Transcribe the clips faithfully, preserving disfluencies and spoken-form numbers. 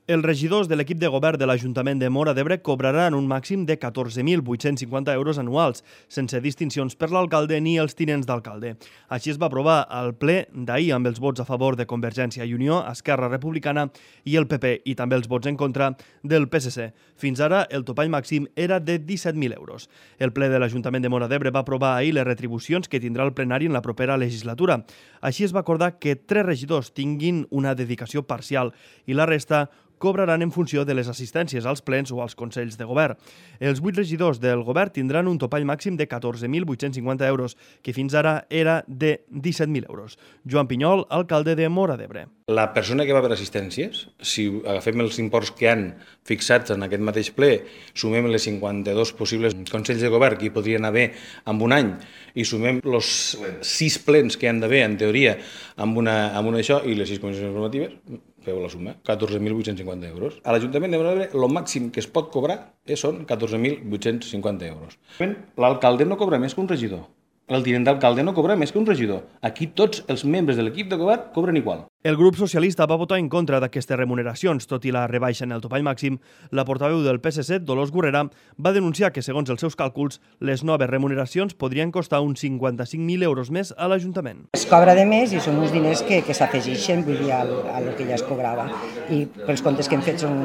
Els regidors de l'equip de govern de l'Ajuntament de Móra d'Ebre cobraran un màxim de catorze mil vuit-cents cinquanta euros anuals, sense distincions per l'alcalde ni els tinents d'alcalde. Així es va aprovar al ple d'ahir amb els vots a favor de Convergència i Unió, Esquerra Republicana i el P P, i també els vots en contra del P S C. Fins ara, el topall màxim era de disset mil euros. El ple de l'Ajuntament de Móra d'Ebre va aprovar ahir les retribucions que tindrà el plenari en la propera legislatura. Així es va acordar que tres regidors tinguin una dedicació parcial i la resta cobraran en funció de les assistències als plens o als consells de govern. Els vuit regidors del govern tindran un topall màxim de catorze mil vuit-cents cinquanta euros, que fins ara era de disset mil euros. Joan Pinyol, alcalde de Móra d'Ebre. La persona que va per assistències, si agafem els imports que han fixats en aquest mateix ple, sumem les cinquanta-dos possibles consells de govern que hi podrien haver en un any i sumem els sis plens que han d'haver, en teoria, amb una, amb una això i les sis comissions informatives, feu la suma, catorze mil vuit-cents cinquanta euros. A l'Ajuntament de Móra d'Ebre, el màxim que es pot cobrar són catorze mil vuit-cents cinquanta euros. L'alcalde no cobra més que un regidor. El tinent d'alcalde no cobra més que un regidor. Aquí tots els membres de l'equip de govern cobren igual. El grup socialista va votar en contra d'aquestes remuneracions. Tot i la rebaixa en el topall màxim, la portaveu del P S C, Dolors Gurrera, va denunciar que, segons els seus càlculs, les noves remuneracions podrien costar uns cinquanta-cinc mil euros més a l'Ajuntament. Es cobra de més i són uns diners que, que s'afegeixen, vull dir, al, al que ja es cobrava. I pels comptes que hem fet són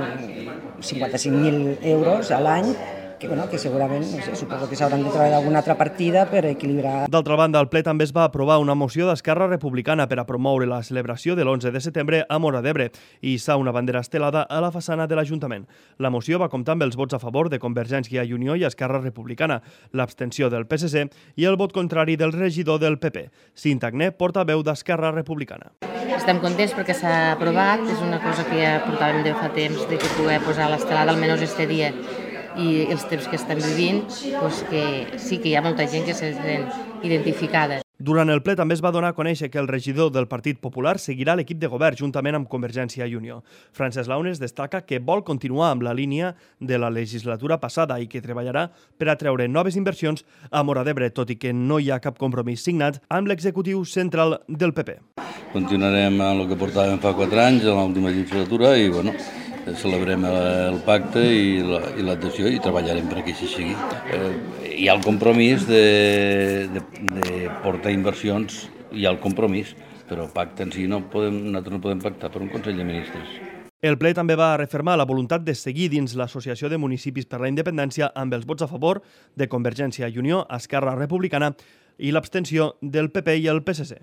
cinquanta-cinc mil euros a l'any, que, bueno, que segurament, no sé, suposo que s'hauran de treballar alguna altra partida per equilibrar. D'altra banda, al ple també es va aprovar una moció d'Esquerra Republicana per a promoure la celebració de l'onze de setembre a Móra d'Ebre i hissar una bandera estelada a la façana de l'Ajuntament. La moció va comptar amb els vots a favor de Convergència i Unió i Esquerra Republicana, l'abstenció del P S C i el vot contrari del regidor del P P. Cinta Agné, portaveu d'Esquerra Republicana. Estem contents perquè s'ha aprovat, és una cosa que ja portàvem de fa temps, de que poder posar l'estelada almenys este dia i els temps que estan vivint, doncs que sí que hi ha molta gent que se sent identificada. Durant el ple també es va donar a conèixer que el regidor del Partit Popular seguirà l'equip de govern juntament amb Convergència i Unió. Francesc Launes destaca que vol continuar amb la línia de la legislatura passada i que treballarà per a treure noves inversions a Móra d'Ebre, tot i que no hi ha cap compromís signat amb l'executiu central del P P. Continuarem amb el que portàvem fa quatre anys, en l'última legislatura, i bueno, celebrem el pacte i l'adhesió i treballarem perquè així sigui. Eh, hi ha el compromís de, de, de portar inversions, hi ha el compromís, però pacte en si no podem, nosaltres no podem pactar per un Consell de Ministres. El ple també va refermar la voluntat de seguir dins l'Associació de Municipis per la Independència amb els vots a favor de Convergència i Unió, Esquerra Republicana i l'abstenció del P P i el P S C.